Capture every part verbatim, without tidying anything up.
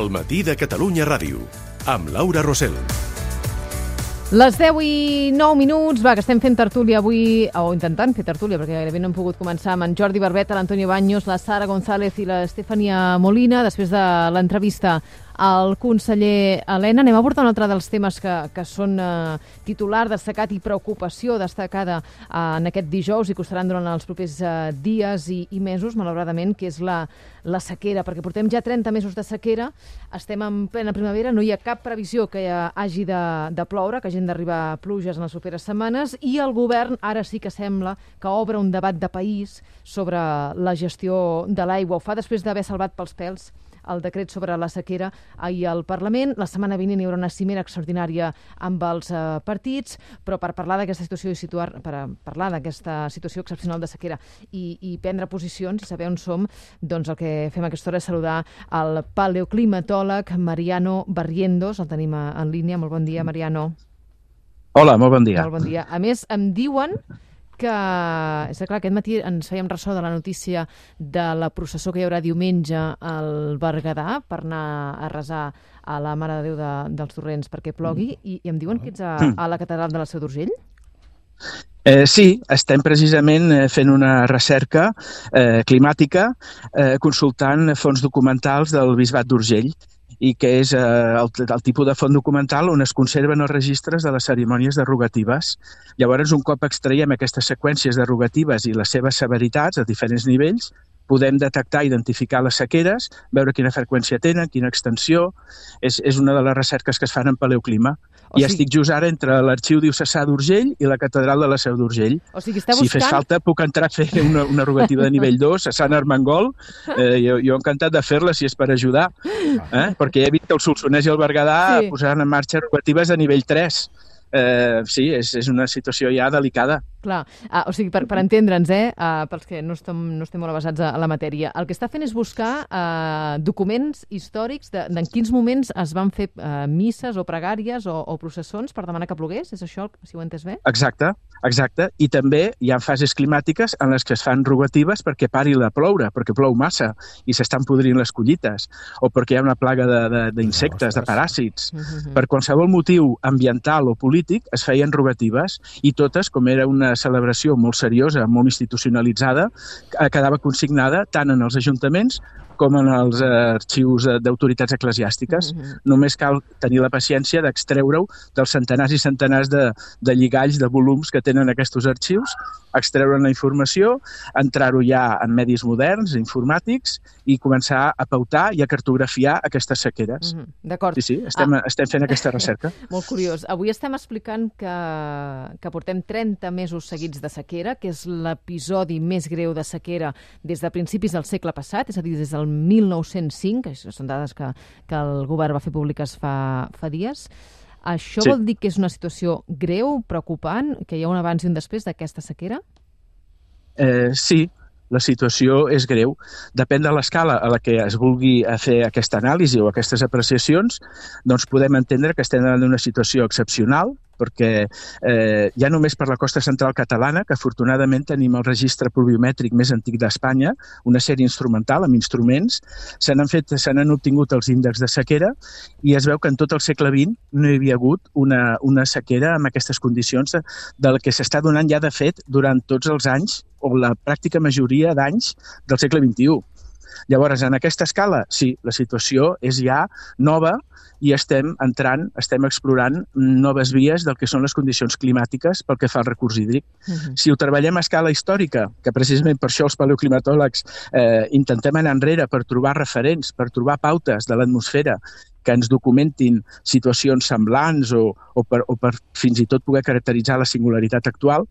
El matí de Catalunya Ràdio, amb Laura Rosell. Les deu i nou minuts, va, que estem fent tertúlia avui, o intentant fer tertúlia, perquè gairebé no hem pogut començar amb en Jordi Barbeta, l'Antonio Baños, la Sara González i l'Estefania Molina, després de l'entrevista al conseller Elena. Anem a abordar un altre dels temes que, que són eh, titular destacat i preocupació destacada eh, en aquest dijous i costaran durant els propers eh, dies i, i mesos, malauradament, que és la, la sequera, perquè portem ja trenta mesos de sequera, estem en plena primavera, no hi ha cap previsió que hi hagi de, de ploure, que hagin d'arribar pluges en les properes setmanes, i el govern ara sí que sembla que obre un debat de país sobre la gestió de l'aigua. Ho fa després d'haver salvat pels pèls el decret sobre la sequera ahir al Parlament. La setmana vinent hi haurà una cimera extraordinària amb els eh, partits, però per parlar d'aquesta situació i situar, per parlar d'aquesta situació excepcional de sequera i, i prendre posicions i saber on som, doncs el que fem a aquesta hora és saludar el paleoclimatòleg Mariano Barrientos. El tenim en línia. Molt bon dia, Mariano. Hola, molt bon dia. Molt bon dia. A més, em diuen que, és clar, aquest matí ens fèiem ressò de la notícia de la processó que hi haurà diumenge al Berguedà per anar a resar a la Mare de Déu de, dels Torrents perquè plogui, i, i em diuen que ets a, a la catedral de la Seu d'Urgell? Eh, sí, estem precisament fent una recerca eh, climàtica eh, consultant fons documentals del Bisbat d'Urgell, i que és eh, el, el tipus de font documental on es conserven els registres de les cerimònies derogatives. Llavors, un cop extraiem aquestes seqüències derogatives i les seves severitats a diferents nivells, podem detectar, identificar les sequeres, veure quina freqüència tenen, quina extensió. És, és una de les recerques que es fan en paleoclima. O I sigui... estic just ara entre l'Arxiu Diocesà d'Urgell i la Catedral de la Seu d'Urgell. O sigui, està buscant... Si fes falta, puc entrar a fer una, una rogativa de nivell dos a Sant Armengol. Eh, jo, jo encantat de fer-la si és per ajudar, eh? Perquè he vist que el Solsonès i el Berguedà sí. posaran en marxa rogatives de nivell tres. Eh, sí, és, és una situació ja delicada. Clar, ah, o sigui, per, per entendre'ns, eh, uh, pels que no estem, no estem molt avasats a, a la matèria, el que està fent és buscar uh, documents històrics de, de en quins moments es van fer uh, misses o pregàries o, o processons per demanar que plogués, és això, si ho he entès bé? Exacte, exacte, i també hi ha fases climàtiques en les que es fan rogatives perquè pari de ploure, perquè plou massa i s'estan podrint les collites, o perquè hi ha una plaga d'insectes, de, de, de paràsits. Mm-hmm. Per qualsevol motiu ambiental o polític es feien rogatives, i totes, com era una celebració molt seriosa, molt institucionalitzada, quedava consignada tant en els ajuntaments com en els arxius d'autoritats eclesiàstiques. Mm-hmm. Només cal tenir la paciència d'extreure-ho dels centenars i centenars de, de lligalls, de volums que tenen aquests arxius, extreure la informació, entrar-ho ja en medis moderns, informàtics, i començar a pautar i a cartografiar aquestes sequeres. Mm-hmm. D'acord. Sí, sí, estem, ah. estem fent aquesta recerca. Molt curiós. Avui estem explicant que, que portem trenta mesos seguits de sequera, que és l'episodi més greu de sequera des de principis del segle passat, és a dir, des del mil nou-cents cinc, això són dades que, que el govern va fer públiques fa, fa dies. Això sí. Vol dir que és una situació greu, preocupant, que hi ha un abans i un després d'aquesta sequera? Eh, sí, la situació és greu. Depèn de l'escala a la que es vulgui fer aquesta anàlisi o aquestes apreciacions, doncs podem entendre que estem en una situació excepcional, perquè eh, ja només per la costa central catalana, que afortunadament tenim el registre pluviomètric més antic d'Espanya, una sèrie instrumental amb instruments, se n'han fet, se n'han obtingut els índexs de sequera, i es veu que en tot el segle vint no hi havia hagut una, una sequera amb aquestes condicions de, del que s'està donant ja de fet durant tots els anys, o la pràctica majoria d'anys del segle vint-i-u. Llavors, en aquesta escala, sí, la situació és ja nova, i estem entrant, estem explorant noves vies del que són les condicions climàtiques pel que fa al recurs hídric. Uh-huh. Si ho treballem a escala històrica, que precisament per això els paleoclimatòlegs eh, intentem anar enrere per trobar referents, per trobar pautes de l'atmosfera que ens documentin situacions semblants o, o, per, o per fins i tot poder caracteritzar la singularitat actual,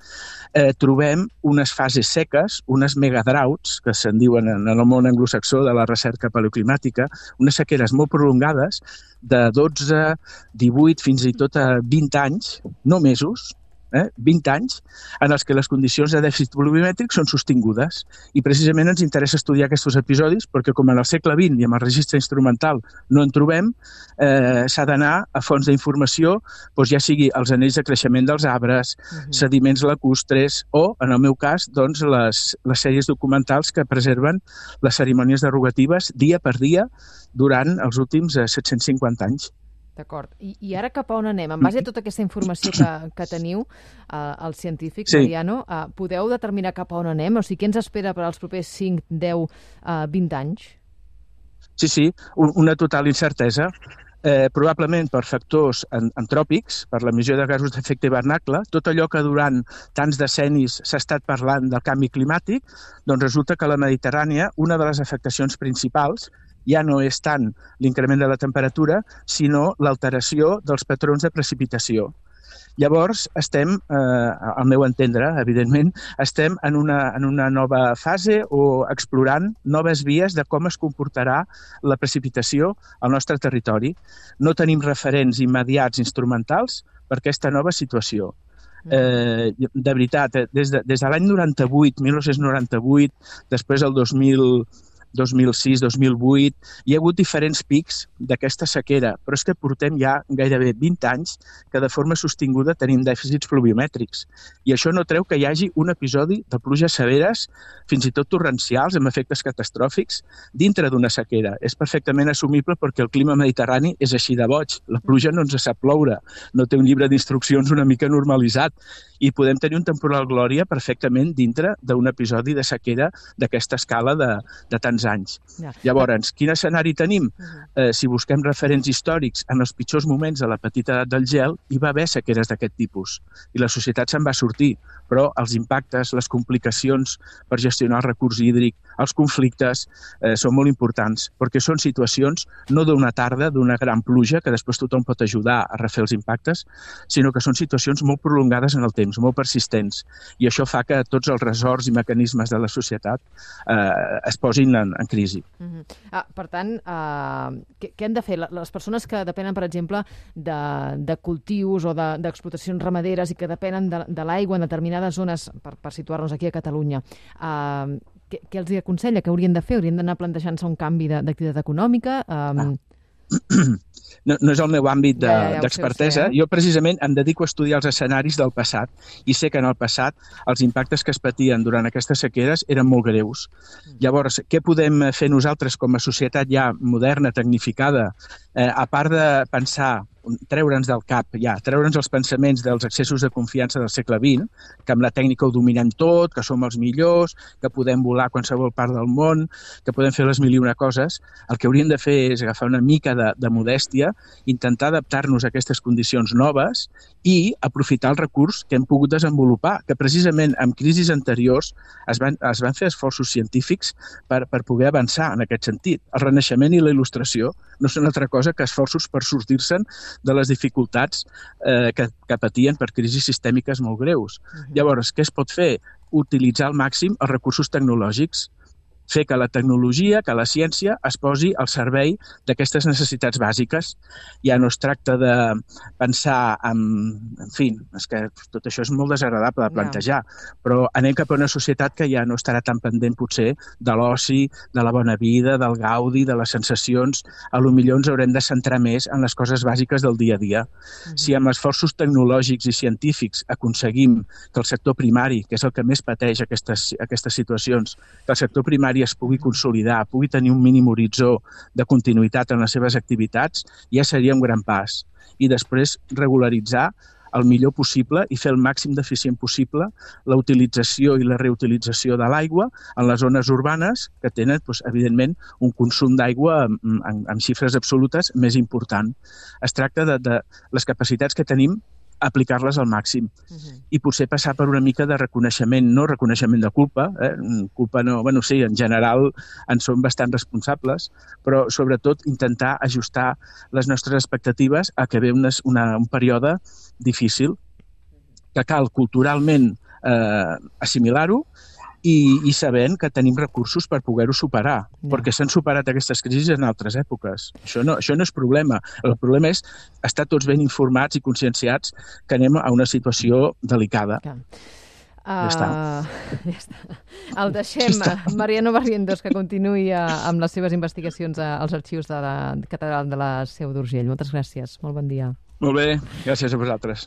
eh, trobem unes fases seques, unes megadroughts, que se'n diuen en el món anglosaxó de la recerca paleoclimàtica, unes sequeres molt prolongades de dotze, divuit, fins i tot a vint anys, no mesos, eh? vint anys, en els que les condicions de dèficit volumétric són sostingudes. I precisament ens interessa estudiar aquests episodis perquè com en el segle vint i amb el registre instrumental no en trobem, eh, s'ha d'anar a fonts d'informació, doncs ja sigui els anells de creixement dels arbres, uh-huh. sediments lacustres o, en el meu cas, doncs, les, les sèries documentals que preserven les cerimònies derogatives dia per dia durant els últims eh, set-cents cinquanta anys. D'acord. I, I ara cap a on anem? En base a tota aquesta informació que, que teniu, eh, els científics, sí. Mariano, eh, podeu determinar cap a on anem? O sigui, què ens espera per als propers cinc, deu, eh, vint anys? Sí, sí, una total incertesa. Eh, probablement per factors antròpics, per l'emissió de gasos d'efecte hivernacle, tot allò que durant tants decennis s'ha estat parlant del canvi climàtic, doncs resulta que a la Mediterrània una de les afectacions principals ja no és tant l'increment de la temperatura, sinó l'alteració dels patrons de precipitació. Llavors, estem, eh, al meu entendre, evidentment, estem en una, en una nova fase o explorant noves vies de com es comportarà la precipitació al nostre territori. No tenim referents immediats instrumentals per aquesta nova situació. Eh, de veritat, des de, des de l'any noranta-vuit, dinou noranta-vuit, després el dos mil dos mil sis, dos mil vuit, hi ha hagut diferents pics d'aquesta sequera, però és que portem ja gairebé vint anys que de forma sostinguda tenim dèficits pluviomètrics. I això no treu que hi hagi un episodi de pluges severes, fins i tot torrencials, amb efectes catastròfics, dintre d'una sequera. És perfectament assumible perquè el clima mediterrani és així de boig. La pluja no ens sap ploure, no té un llibre d'instruccions una mica normalitzat. I podem tenir un temporal glòria perfectament dintre d'un episodi de sequera d'aquesta escala de, de tants anys. Ja. Llavors, quin escenari tenim? Uh-huh. Eh, si busquem referents històrics, en els pitjors moments de la petita edat del gel, hi va haver sequeres d'aquest tipus. I la societat se'n va sortir, però els impactes, les complicacions per gestionar el recurs hídric, els conflictes, eh, són molt importants, perquè són situacions no d'una tarda, d'una gran pluja, que després tothom pot ajudar a refer els impactes, sinó que són situacions molt prolongades en el temps, molt persistents, i això fa que tots els ressorts i mecanismes de la societat eh, es posin en, en crisi. Uh-huh. ah, per tant, uh, què, què han de fer? Les persones que depenen, per exemple, de, de cultius o de, d'explotacions ramaderes i que depenen de, de l'aigua en determinades zones, per, per situar-nos aquí a Catalunya, uh, què, què els aconsella? Què haurien de fer? Haurien d'anar plantejant-se un canvi de, d'activitat econòmica? Um... Ah. No, no és el meu àmbit de, ja, ja, ja d'expertesa. Sé, eh? Jo precisament em dedico a estudiar els escenaris del passat i sé que en el passat els impactes que es patien durant aquestes sequeres eren molt greus. Llavors, què podem fer nosaltres com a societat ja moderna, tecnificada, eh, a part de pensar, treure'ns del cap, ja, treure'ns els pensaments dels excessos de confiança del segle vint, que amb la tècnica ho dominem tot, que som els millors, que podem volar a qualsevol part del món, que podem fer les mil i una coses, el que hauríem de fer és agafar una mica de, de modèstia, intentar adaptar-nos a aquestes condicions noves i aprofitar el recurs que hem pogut desenvolupar, que precisament en crisis anteriors es van, es van fer esforços científics per, per poder avançar en aquest sentit. El Renaixement i la Il·lustració no són altra cosa que esforços per sortir-se'n de les dificultats eh, que, que patien per crisis sistèmiques molt greus. Uh-huh. Llavors, què es pot fer? Utilitzar al màxim els recursos tecnològics, fer que la tecnologia, que la ciència es posi al servei d'aquestes necessitats bàsiques. Ja no es tracta de pensar en... En fi, és que tot això és molt desagradable de plantejar, no. Però anem cap a una societat que ja no estarà tan pendent, potser, de l'oci, de la bona vida, del gaudi, de les sensacions. A lo millor ens haurem de centrar més en les coses bàsiques del dia a dia. Uh-huh. Si amb esforços tecnològics i científics aconseguim que el sector primari, que és el que més pateix aquestes, aquestes situacions, que el sector primari es pugui consolidar, pugui tenir un mínim horitzó de continuïtat en les seves activitats, ja seria un gran pas. I després regularitzar el millor possible i fer el màxim d'eficient possible la utilització i la reutilització de l'aigua en les zones urbanes que tenen, doncs, evidentment, un consum d'aigua amb, amb, amb xifres absolutes més important. Es tracta de, de les capacitats que tenim aplicar-les al màxim. Uh-huh. I potser passar per una mica de reconeixement, no reconeixement de culpa, eh? culpa no, bueno, sí, en general en som bastant responsables, però sobretot intentar ajustar les nostres expectatives a que ve una, una, un període difícil, que cal culturalment eh, assimilar-ho i, i sabent que tenim recursos per poder-ho superar, Ja. perquè s'han superat aquestes crisis en altres èpoques. Això no, això no és problema. El problema és estar tots ben informats i conscienciats que anem a una situació delicada. Clar. Ja està. Uh, ja està. El deixem, ja està. Mariano Barrientos, que continuï uh, amb les seves investigacions uh, als arxius de la Catedral de la Seu d'Urgell. Moltes gràcies. Molt bon dia. Molt bé, gràcies a vosaltres.